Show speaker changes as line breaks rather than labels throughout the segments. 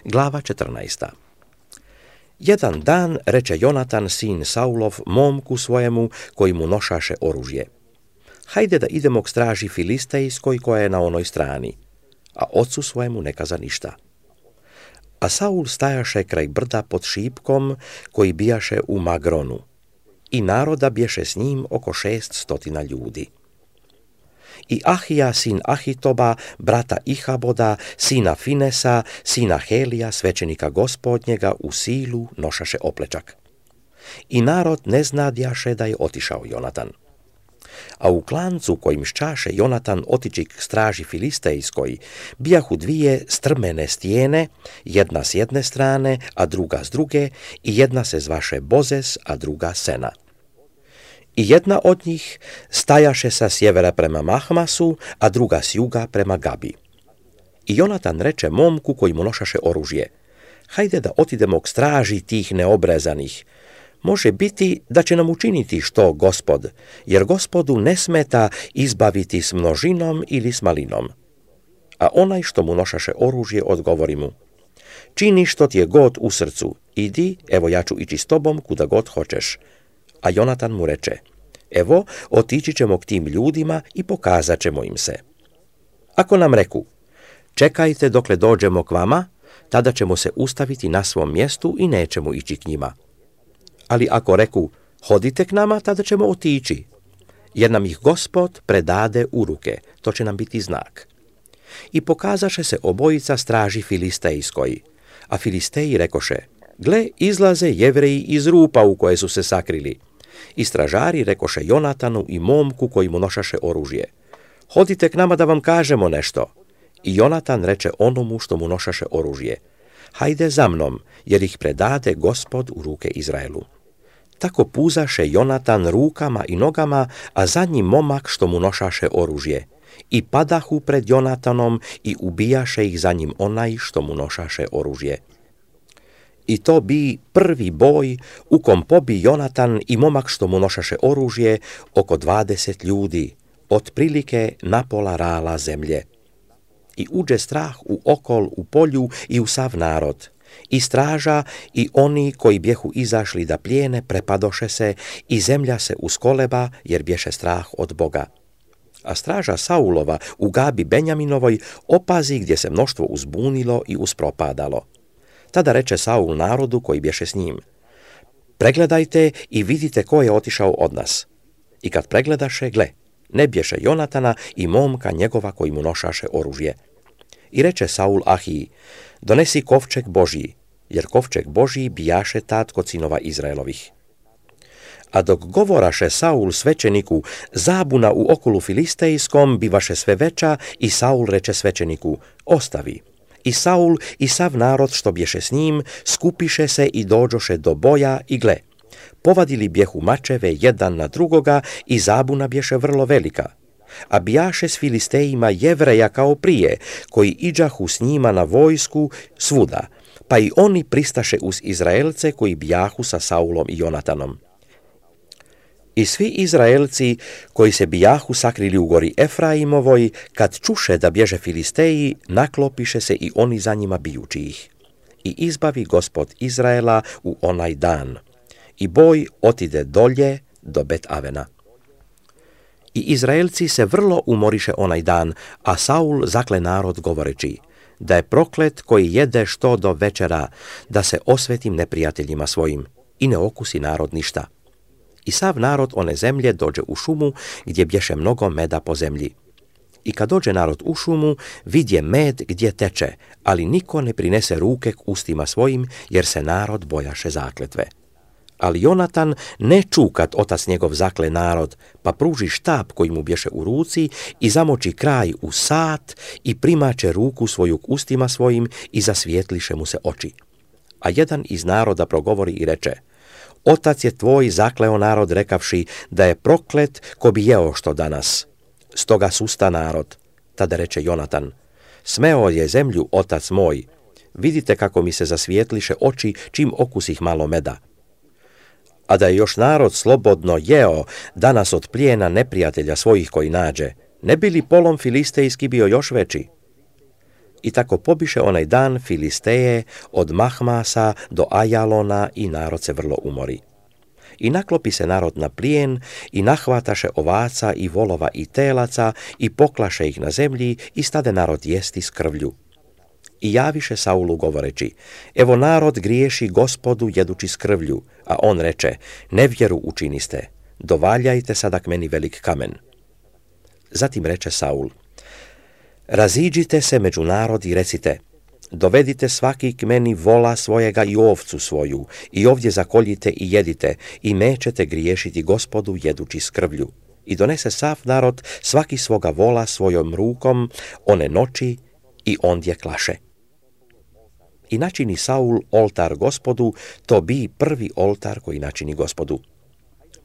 Glava 14. Jedan dan reče Jonatan, sin Saulov, momku svojemu koji mu nošaše oružje: hajde da idemo k straži filistejskoj koja je na onoj strani, a ocu svojemu ne kaza ništa. A Saul stajaše kraj brda pod šipkom koji bijaše u Magronu, i naroda bješe s njim oko 600 ljudi. I Ahija, sin Ahitoba, brata Ihaboda, sina Finesa, sina Helija, svećenika gospodnjega, u silu nošaše oplečak. I narod ne znadjaše da je otišao Jonatan. A u klancu kojim ščaše Jonatan otići k straži filistejskoj, bijahu dvije strmene stijene, jedna s jedne strane, a druga s druge, i jedna se zvaše Bozez, a druga Sena. I jedna od njih stajaše sa sjevera prema Mahmasu, a druga s juga prema Gabi. I Jonatan reče momku koji mu nošaše oružje: hajde da otidemo k straži tih neobrezanih. Može biti da će nam učiniti što Gospod, jer Gospodu ne smeta izbaviti s množinom ili s malinom. A onaj što mu nošaše oružje odgovori mu: čini što ti je god u srcu, idi, evo ja ću ići s tobom kuda god hoćeš. A Jonatan mu reče: evo, otići ćemo k tim ljudima i pokazat ćemo im se. Ako nam reku: čekajte dokle dođemo k vama, tada ćemo se ustaviti na svom mjestu i nećemo ići k njima. Ali ako reku: hodite k nama, tada ćemo otići, jer nam ih Gospod predade u ruke, to će nam biti znak. I pokazaše se obojica straži filistejskoj, a Filisteji rekoše: gle, izlaze Jevreji iz rupa u koje su se sakrili. I stražari rekoše Jonatanu i momku koji mu nošaše oružje: hodite k nama da vam kažemo nešto. I Jonatan reče onomu što mu nošaše oružje: hajde za mnom, jer ih predade Gospod u ruke Izraelu. Tako puzaše Jonatan rukama i nogama, a za njim momak što mu nošaše oružje. I padahu pred Jonatanom i ubijaše ih za njim onaj što mu nošaše oružje. I to bi prvi boj u kom pobi Jonatan i momak što mu nošaše oružje oko 20 ljudi, otprilike na pola rala zemlje. I uđe strah u okol, u polju i u sav narod. I straža i oni koji bjehu izašli da plijene prepadoše se i zemlja se uskoleba jer bješe strah od Boga. A straža Saulova u Gabi Benjaminovoj opazi gdje se mnoštvo uzbunilo i uspropadalo. Tada reče Saul narodu koji bješe s njim: pregledajte i vidite ko je otišao od nas. I kad pregledaše, gle, ne bješe Jonatana i momka njegova koji mu nošaše oružje. I reče Saul Ahiji: donesi kovčeg Božji, jer kovčeg Božji bijaše tad kod sinova Izraelovih. A dok govoraše Saul svećeniku, zabuna u okolu filistejskom bivaše sve veća, i Saul reče svećeniku: ostavi. I Saul i sav narod što bješe s njim skupiše se i dođoše do boja, i gle, povadili bjehu mačeve jedan na drugoga i zabuna bješe vrlo velika. A bijaše s Filistejima Jevreja kao prije, koji iđahu s njima na vojsku svuda, pa i oni pristaše uz Izraelce koji bijahu sa Saulom i Jonatanom. I svi Izraelci koji se bijahu sakrili u gori Efraimovoj, kad čuše da bježe Filisteji, naklopiše se i oni za njima bijući ih. I izbavi Gospod Izraela u onaj dan. I boj otide dolje do Bet Avena. I Izraelci se vrlo umoriše onaj dan, a Saul zakle narod govoreći: da je proklet koji jede što do večera, da se osvetim neprijateljima svojim. I ne okusi narod ništa. I sav narod one zemlje dođe u šumu gdje bješe mnogo meda po zemlji. I kad dođe narod u šumu, vidje med gdje teče, ali niko ne prinese ruke k ustima svojim, jer se narod bojaše zakletve. Ali Jonatan ne ču kad otac njegov zakle narod, pa pruži štap koji mu bješe u ruci i zamoči kraj u sat i primače ruku svoju k ustima svojim i zasvijetliše mu se oči. A jedan iz naroda progovori i reče: otac je tvoj zakleo narod rekavši da je proklet ko bi jeo što danas. Stoga susta narod. Tada reče Jonatan: smeo je zemlju otac moj, vidite kako mi se zasvijetliše oči čim okusih malo meda. A da je još narod slobodno jeo danas od plijena neprijatelja svojih koji nađe, ne bi li polom filistejski bio još veći? I tako pobiše onaj dan Filisteje od Mahmasa do Ajalona i narod se vrlo umori. I naklopi se narod na plijen i nahvataše ovaca i volova i telaca i poklaše ih na zemlji i stade narod jesti s krvlju. I javiše Saulu govoreći, evo narod griješi Gospodu jedući s krvlju, a on reče, nevjeru učiniste, dovaljajte sadak meni velik kamen. Zatim reče Saul, raziđite se među narod i recite, dovedite svaki k meni vola svojega i ovcu svoju, i ovdje zakoljite i jedite, i nećete griješiti Gospodu jedući s krvlju. I donese sav narod svaki svoga vola svojom rukom, one noći, i ondje klaše. I načini Saul oltar Gospodu, to bi prvi oltar koji načini Gospodu.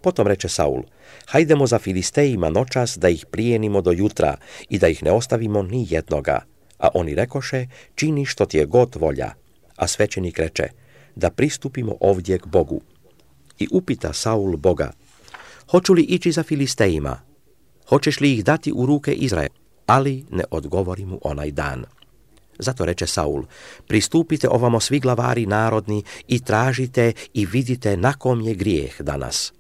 Potom reče Saul, hajdemo za Filistejima noćas da ih plijenimo do jutra i da ih ne ostavimo ni jednoga. A oni rekoše, čini što ti je god volja. A svećenik reče, da pristupimo ovdje k Bogu. I upita Saul Boga, hoću li ići za Filistejima? Hoćeš li ih dati u ruke Izraela? Ali ne odgovori mu onaj dan. Zato reče Saul, pristupite ovamo svi glavari narodni i tražite i vidite na kom je grijeh danas.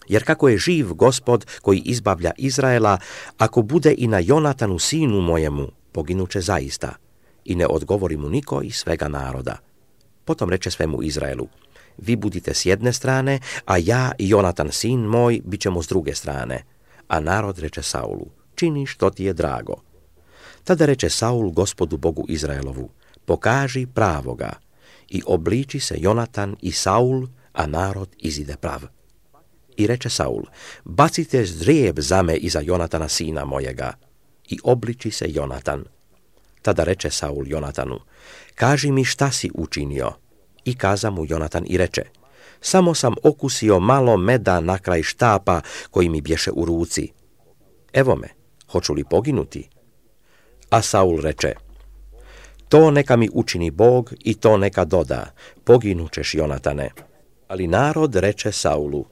Jer kako je živ Gospod koji izbavlja Izraela, ako bude i na Jonatanu sinu mojemu, poginuće zaista. I ne odgovori mu niko iz svega naroda. Potom reče svemu Izraelu, vi budite s jedne strane, a ja i Jonatan sin moj bit ćemo s druge strane. A narod reče Saulu, čini što ti je drago. Tada reče Saul Gospodu Bogu Izraelovu, pokaži pravoga. I obliči se Jonatan i Saul, a narod izide prav. I reče Saul, bacite ždrijeb za me iza Jonatana sina mojega. I obliči se Jonatan. Tada reče Saul Jonatanu, kaži mi šta si učinio. I kaza mu Jonatan i reče, samo sam okusio malo meda na kraj štapa koji mi bješe u ruci. Evo me, hoću li poginuti? A Saul reče, to neka mi učini Bog i to neka doda, poginućeš Jonatane. Ali narod reče Saulu,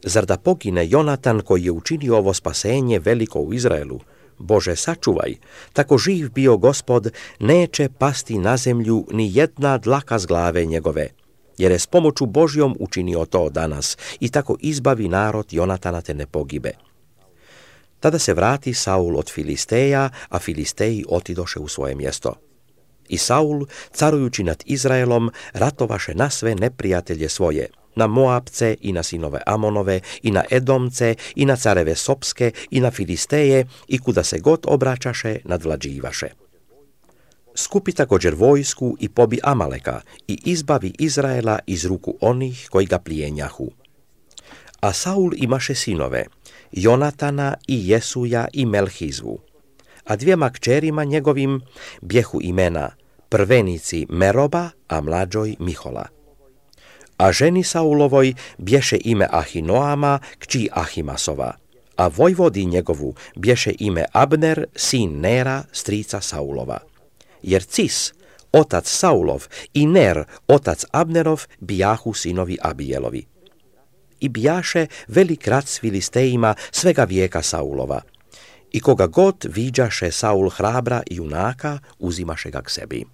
zar da pogine Jonatan koji je učinio ovo spasenje veliko u Izraelu? Bože, sačuvaj, tako živ bio Gospod, neće pasti na zemlju ni jedna dlaka s glave njegove, jer je s pomoću Božjom učinio to danas i tako izbavi narod Jonatana te ne pogibe. Tada se vrati Saul od Filisteja, a Filisteji otidoše u svoje mjesto. I Saul, carujući nad Izraelom, ratovaše na sve neprijatelje svoje, na Moabce i na sinove Amonove, i na Edomce, i na careve Sopske, i na Filisteje, i kuda se god obraćaše, nadvlađivaše. Skupi također vojsku i pobi Amaleka, i izbavi Izraela iz ruku onih koji ga plijenjahu. A Saul imaše sinove, Jonatana i Jesuja i Melhizvu, a dvijema kćerima njegovim bjehu imena, prvenici Meroba, a mlađoj Mihola. A ženi Saulovoj bješe ime Ahinoama, kći Ahimasova, a vojvodi njegovu bješe ime Abner, sin Nera, strica Saulova. Jer Cis, otac Saulov, i Ner, otac Abnerov, bijahu sinovi Abijelovi. I bijaše velik rat s Filistejima svega vijeka Saulova. I koga god viđaše Saul hrabra i junaka, uzimaše ga k sebi.